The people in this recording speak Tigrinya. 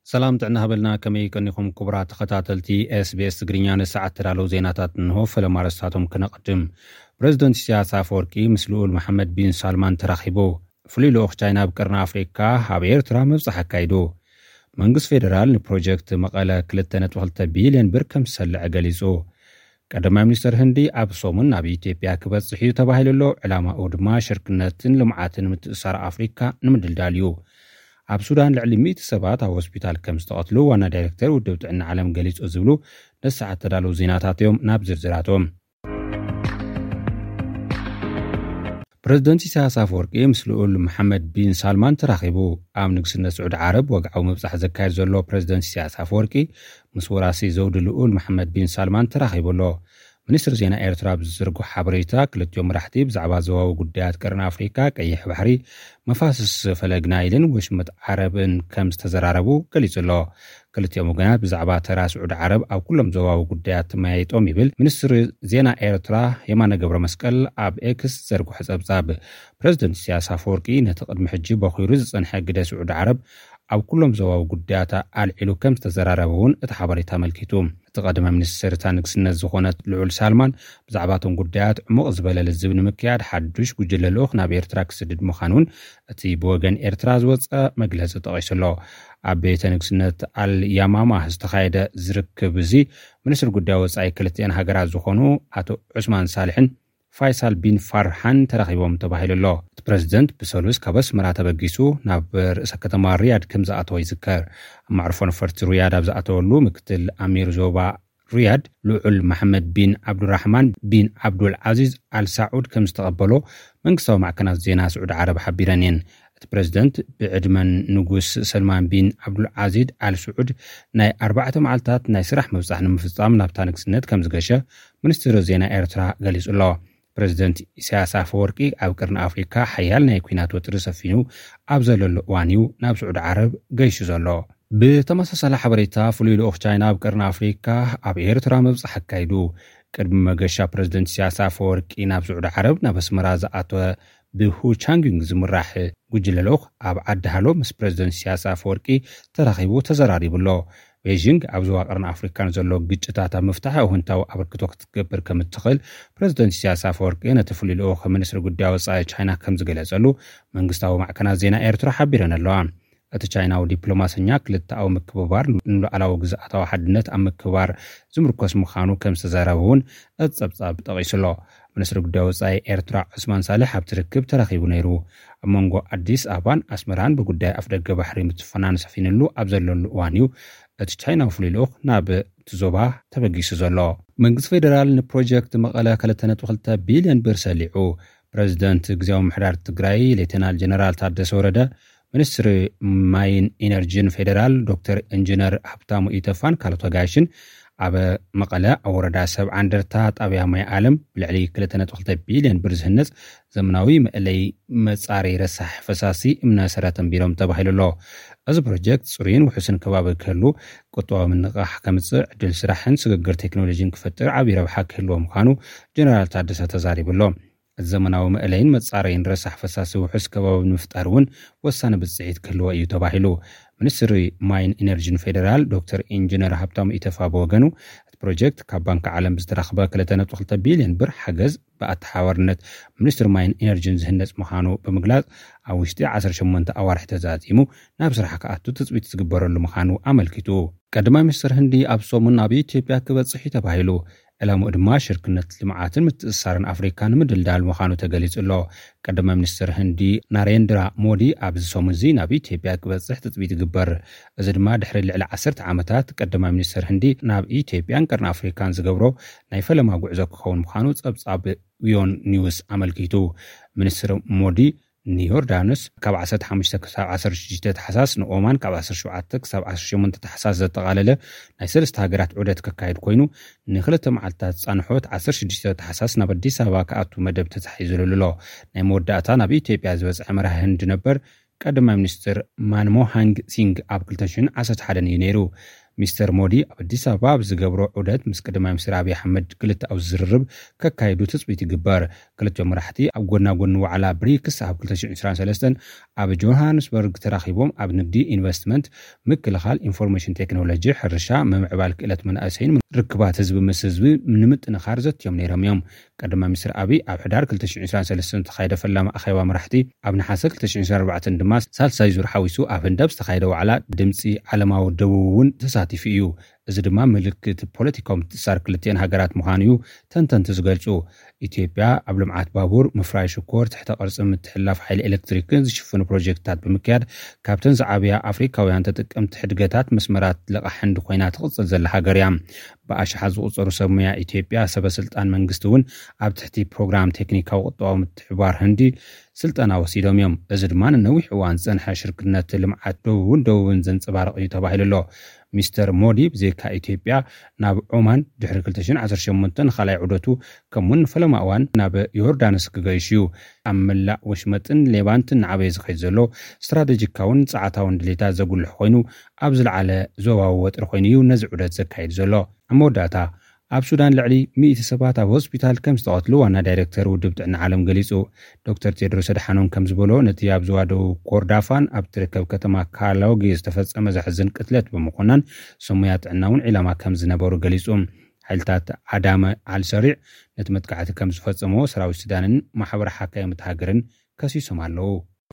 ሰላም ጥዕና ሃበልና፣ ከመይ ቀኒኹም ክቡራት ተኸታተልቲ ኤስቢኤስ ትግርኛ? ንሰዓት ተዳለዉ ዜናታት እንሆ። ፈለማ ኣርእስታቶም ክነቐድም። ፕረዚደንት ኢሳያስ ኣፈወርቂ ምስ ልኡል መሓመድ ቢን ሳልማን ተራኺቡ። ፍሉይ ልኡኽ ቻይና ኣብ ቀርኒ ኣፍሪካ ኣብ ኤርትራ ምብጻሕ ኣካይዱ። መንግስቲ ፌደራል ንፕሮጀክት መቐለ ክልተ ነጥቢ ክልተ ቢልዮን ብር ከም ዝሰልዐ ገሊጹ። ቀዳማይ ሚኒስተር ህንዲ ኣብ ሰሙን ናብ ኢትዮጵያ ክበጽሕ እዩ ተባሂሉ ኣሎ። ዕላማኡ ድማ ሽርክነትን ልምዓትን ምትእስሳር ኣፍሪካ ንምድልዳል እዩ። ኣብ ሱዳን ልዕሊ ሚእቲ ሰባት ኣብ ሆስፒታል ከም ዝተቐትሉ ዋና ዳይሬክተር ውድብ ጥዕና ዓለም ገሊጹ ዝብሉ ነሰዓት ተዳለዉ ዜናታት እዮም። ናብ ዝርዝራቶም። ፕረዚደንት ኢሳያስ ኣፈወርቂ ምስ ልኡል መሓመድ ቢን ሳልማን ተራኺቡ። ኣብ ንግስነት ስዑዲ ዓረብ ወግዓዊ ምብጻሕ ዘካየድ ዘሎ ፕረዚደንት ኢሳያስ ኣፈወርቂ ምስ ወራሲ ዘውዲ ልኡል መሓመድ ቢን ሳልማን ተራኺቡ ኣሎ። ሚኒስትሪ ዜና ኤርትራ ኣብ ዝዘርግሖ ሓበሬታ፣ ክልቲኦም መራሕቲ ብዛዕባ ዞባዊ ጉዳያት ቀርኒ ኣፍሪካ፣ ቀይሕ ባሕሪ፣ መፋስስ ፈለግ ናይልን ወሽመጥ ዓረብን ከም ዝተዘራረቡ ገሊጹ ኣሎ። ክልቲኦም ወገናት ብዛዕባ ተራ ስዑዲ ዓረብ ኣብ ኩሎም ዞባዊ ጉዳያት ተመያይጦም ይብል ሚኒስትሪ ዜና ኤርትራ የማነ ገብረ መስቀል ኣብ ኤክስ ዘርግሖ ጸብጻብ። ፕረዚደንት ኢሳያስ ኣፈወርቂ ነቲ ቅድሚ ሕጂ በኺሩ ዝጸንሐ ግደ ስዑዲ ዓረብ ኣብ ኩሎም ዞባዊ ጉዳያት ኣልዒሉ ከም ዝተዘራረበ እውን እቲ ሓበሬታ ኣመልኪቱ። እቲ ቀዳማይ ሚኒስትር እታ ንግስነት ዝኾነት ልዑል ሳልማን ብዛዕባ እቶም ጉዳያት ዕሙቕ ዝበለ ልዝብ ንምክያድ ሓዱሽ ጉጅለ ልኡኽ ናብ ኤርትራ ክስድድ ምዃኑ እውን እቲ ብወገን ኤርትራ ዝወጸ መግለጺ ጠቒሱ ኣሎ። ኣብ ቤተ ንግስነት ኣል ያማማ ዝተኻየደ ዝርክብ እዚ፣ ሚኒስትር ጉዳይ ወጻኢ ክልቲኣን ሃገራት ዝኾኑ ኣቶ ዑስማን ሳልሕን ፋይሳል ቢን ፋርሃን ተራኺቦም ተባሂሉ ኣሎ። እቲ ፕረዚደንት ብሰሉስ ካብ ኣስመራ ተበጊሱ ናብ ርእሰ ከተማ ሪያድ ከም ዝኣተወ ይዝከር። ኣብ መዕርፎ ነፈርቲ ሪያድ ኣብ ዝኣተወሉ፣ ምክትል ኣሚር ዞባ ሪያድ ልዑል መሓመድ ቢን ዓብዱራሕማን ቢን ዓብዱል ዓዚዝ ኣል ሳዑድ ከም ዝተቐበሎ መንግስታዊ ማዕከናት ዜና ስዑዲ ዓረብ ሓቢረን እየን። እቲ ፕረዚደንት ብዕድመን ንጉስ ሰልማን ቢን ዓብዱል ዓዚዝ ኣል ስዑድ ናይ ኣርባዕተ መዓልታት ናይ ስራሕ ምብጻሕ ንምፍጻም ናብታ ንግስነት ከም ዝገሸ ሚኒስትሪ ዜና ኤርትራ ገሊጹ ኣሎ። ፕረዚደንት ኢሳያስ ኣፈወርቂ ኣብ ቀርኒ ኣፍሪካ ሓያል ናይ ኲናት ወጥሪ ሰፊኑ ኣብ ዘለሉ እዋን እዩ ናብ ስዑዲ ዓረብ ገይሹ ዘሎ። ብተመሳሳሊ ሓበሬታ፣ ፍሉይ ልኡኽ ቻይና ኣብ ቀርኒ ኣፍሪካ ኣብ ኤርትራ ምብጻሕ ኣካይዱ። ቅድሚ መገሻ ፕረዚደንት ኢሳያስ ኣፈወርቂ ናብ ስዑዲ ዓረብ ናብ ኣስመራ ዝኣተወ ብሁ ቻንግዩንግ ዝምራሕ ጉጅለ ልኡኽ ኣብ ዓዲ ሃሎ ምስ ፕረዚደንት ኢሳያስ ኣፈወርቂ ተራኺቡ ተዘራሪቡ ኣሎ። ቤይጂንግ ኣብ ዞባ ቀርኒ ኣፍሪካ ንዘሎ ግጭታት ኣብ ምፍታሕ ኣወንታዊ ኣበርክቶ ክትገብር ከም እትኽእል ፕረዚደንት ኢሳያስ ኣፈወርቂ ነቲ ፍሉይ ልኡኽ ሚኒስትሪ ጉዳይ ወጻኢ ቻይና ከም ዝገለጸሉ መንግስታዊ ማዕከናት ዜና ኤርትራ ሓቢረን ኣለዋ። እቲ ቻይናዊ ዲፕሎማሰኛ ክልተኣዊ ምክብባር ንሉዓላዊ ግዝኣታዊ ሓድነት ኣብ ምክብባር ዝምርኮስ ምዃኑ ከም ዝተዛረበ እውን እቲ ጸብጻብ ጠቒሱ ኣሎ። ሚኒስትሪ ጉዳይ ወጻኢ ኤርትራ ዑስማን ሳልሕ ኣብቲ ርክብ ተረኺቡ ነይሩ። ኣብ መንጎ ኣዲስ ኣበባን ኣስመራን ብጉዳይ ኣፍደገ ባሕሪ ምትፍናን ሰፊንሉ ኣብ ዘለሉ እዋን እዩ እቲ ቻይናዊ ፍሉይ ልኡኽ ናብ እቲ ዞባ ተበጊሱ ዘሎ። መንግስቲ ፌደራል ንፕሮጀክት መቐለ ክልተ ነጥቢ ክልተ ቢልዮን ብር ሰሊዑ። ፕረዚደንት ግዝያዊ ምሕዳር ትግራይ ሌተናል ጀነራል ታደሰ ወረደ፣ ሚኒስትሪ ማይን ኢነርጂን ፌደራል ዶክተር ኢንጂነር ሃብታሙ ኢተፋን ካልኦት ኣጋይሽን ኣብ መቐለ ኣብ ወረዳ ሰብዓ እንደርታ ጣብያ ማይ ዓለም ብልዕሊ ክልተ ነጥቢ ክልተ ቢልዮን ብር ዝህነፅ ዘመናዊ መእለይ መፃረይ ረሳሕ ፈሳሲ እምነ ሰረት ኣንቢሮም ተባሂሉ ኣሎ። እዚ ፕሮጀክት ፅሩይን ውሑስን ከባቢ ክህሉ፣ ቁጠባዊ ምንቕቓሕ ከምፅእ፣ ዕድል ስራሕን ስግግር ቴክኖሎጂን ክፈጥር ዓብዪ ረብሓ ክህልዎ ምዃኑ ጀነራል ታደሰ ተዛሪቡ ኣሎ። ዘመናዊ መእለይን መጻረይን ረሳሕ ፈሳሲ ውሑስ ከባቢ ንምፍጣር እውን ወሳኒ ብጽሒት ክህልዎ እዩ ተባሂሉ። ሚኒስትሪ ማይን ኢነርጂን ፌዴራል ዶክተር ኢንጂነር ሃብታሙ ኢተፋ ብወገኑ፣ እቲ ፕሮጀክት ካብ ባንክ ዓለም ብዝተረኽበ ክልተ ነጥቢ ክልተ ቢልዮን ብር ሓገዝ ብኣተሓባርነት ሚኒስትሪ ማይን ኢነርጂን ዝህነጽ ምዃኑ ብምግላጽ፣ ኣብ ውሽጢ ዓሰርተ ሸሞንተ ኣዋርሕ ተዛዚሙ ናብ ስራሕ ክኣቱ ትጽቢት ዝግበረሉ ምዃኑ ኣመልኪቱ። ቀዳማይ ሚኒስትር ህንዲ ኣብ ሰሙን ናብ ኢትዮጵያ ክበጽሕ እዩ ተባሂሉ። ዕላምኡ ድማ ሽርክነት ልምዓትን ምትእስሳርን ኣፍሪካ ንምድልዳል ምዃኑ ተገሊጹ ኣሎ። ቀዳማይ ሚኒስትር ህንዲ ናሬንድራ ሞዲ ኣብዚ ሰሙን እዚ ናብ ኢትዮጵያ ክበጽሕ ትጽቢት ይግበር። እዚ ድማ ድሕሪ ልዕሊ ዓሰርተ ዓመታት ቀዳማይ ሚኒስትር ህንዲ ናብ ኢትዮጵያን ቀርኒ ኣፍሪካን ዝገብሮ ናይ ፈለማ ጉዕዞ ክኸውን ምዃኑ ጸብጻብ ዊዮን ኒውስ ኣመልኪቱ። ሚኒስትር ሞዲ ንዮርዳኖስ ካብ ዓሰርተ ሓሙሽተ ክሳብ ዓሰርተ ሽዱሽተ ታሕሳስ፣ ንኦማን ካብ ዓሰርተ ሸውዓተ ክሳብ ዓሰርተ ሸሞንተ ታሕሳስ ዘጠቓለለ ናይ ሰለስተ ሃገራት ዑደት ከካይድ ኮይኑ፣ ንክልተ መዓልታት ዝጸንሖ ዓሰርተ ሽዱሽተ ታሕሳስ ናብ ኣዲስ ኣበባ ክኣቱ መደብ ተታሒዙሉ ኣሎ። ናይ መወዳእታ ናብ ኢትዮጵያ ዝበጽሐ መራሒ ህንዲ ነበር ቀዳማይ ሚኒስትር ማንሞሃንግ ሲንግ ኣብ ክልተ ሽሕን ዓሰርተ ሓደን እዩ ነይሩ። ሚስተር ሞዲ ኣብ ኣዲስ ኣበባ ኣብ ዝገብሮ ዑደት ምስ ቀዳማይ ሚኒስትር ኣብይ ኣሕመድ ክልተኣዊ ዝርርብ ከካይዱ ትፅቢት ይግበር። ክልቲኦም መራሕቲ ኣብ ጎና ጎኒ ዋዕላ ብሪክስ ኣብ ክልተ ሽሕን ዕስራን ሰለስተን ኣብ ጆሃንስበርግ ተራኺቦም ኣብ ንግዲ፣ ኢንቨስትመንት፣ ምክልኻል፣ ኢንፎርሜሽን ቴክኖሎጂ፣ ሕርሻ፣ ምምዕባል ክእለት መናእሰይን ርክባት ህዝቢ ምስ ህዝቢ ንምጥንኻር ዘትዮም ነይሮም እዮም። ቀዳማይ ሚኒስትር ኣብይ ኣብ ሕዳር ክልተ ሽሕን ዕስራን ሰለስተን ዝተኻየደ ፈላሚ ኣኼባ መራሕቲ፣ ኣብ ነሓሰ ክልተ ሽሕን ዕስራን ኣርባዕተን ድማ ሳልሳይ ዙር ሓዊሱ ኣብ ህንዲ ኣብ ዝተኻየደ ዋዕላ ድምፂ ዓለማዊ ደቡብ እውን ተሳቲፉ እዩ። እዚ ድማ ምልክት ፖለቲካዊ ምትእስሳር ክልቲአን ሃገራት ምዃኑ እዩ ተንተንቲ ዝገልጹ። ኢትዮጵያ ኣብ ልምዓት ባቡር፣ ምፍራይ ሽኮር፣ ትሕተ ቅርጺ ምትሕልላፍ ሓይሊ ኤሌክትሪክን ዝሽፍኑ ፕሮጀክትታት ብምክያድ ካብተን ዝዓበያ ኣፍሪካውያን ተጠቀምቲ ሕድገታት መስመራት ልቓሕ ህንዲ ኮይና ትቕጽል ዘላ ሃገር እያ። ብኣሽሓት ዝቑጸሩ ሰብ ሞያ ኢትዮጵያ፣ ሰበ ስልጣን መንግስቲ እውን ኣብ ትሕቲ ፕሮግራም ቴክኒካዊ ቁጠባዊ ምትሕብባር ህንዲ ስልጠና ወሲዶም እዮም። እዚ ድማ ንነዊሕ እዋን ዝጸንሐ ሽርክነት ልምዓት ደቡብን ደቡብን ዘንጸባርቕ እዩ ተባሂሉ ኣሎ። ሚስተር ሞዲ ብዘይካ ኢትዮጵያ ናብ ዖማን ድሕሪ ክልተ ሽሕን ዓሰርተ ሸሞንተን ንኻልኣይ ዑደቱ ከምኡውን ንፈለማ እዋን ናብ ዮርዳኖስ ክገይሽ እዩ። ኣብ መላእ ወሽመጥን ሌቫንትን ንዓበየ ዝኸይድ ዘሎ ስትራቴጂካውን ጸዓታውን ድሌታት ዘጉልሕ ኮይኑ ኣብ ዝለዓለ ዞባዊ ወጥሪ ኮይኑ እዩ ነዚ ዑደት ዘካይድ ዘሎ። ኣብ መወዳእታ ኣብ ሱዳን ልዕሊ ሚእቲ ሰባት ኣብ ሆስፒታል ከም ዝተቐትሉ ዋና ዳይሬክተር ውድብ ጥዕና ዓለም ገሊጹ። ዶክተር ቴድሮስ ኣድሓኖም ከም ዝበሎ ነቲ ኣብ ዞባ ደቡብ ኮርዳፋን ኣብ ትርከብ ከተማ ካላውጊ ዝተፈጸመ ዘሕዝን ቅትለት ብምኹናን ሰሙያ ጥዕና እውን ዒላማ ከም ዝነበሩ ገሊጹ። ሓይልታት ዓዳመ ኣልሰሪዕ ነቲ መጥቃዕቲ ከም ዝፈጸሞ ሰራዊት ሱዳንን ማሕበር ሓካይም እታ ሃገርን ከሲሶም ኣለዉ።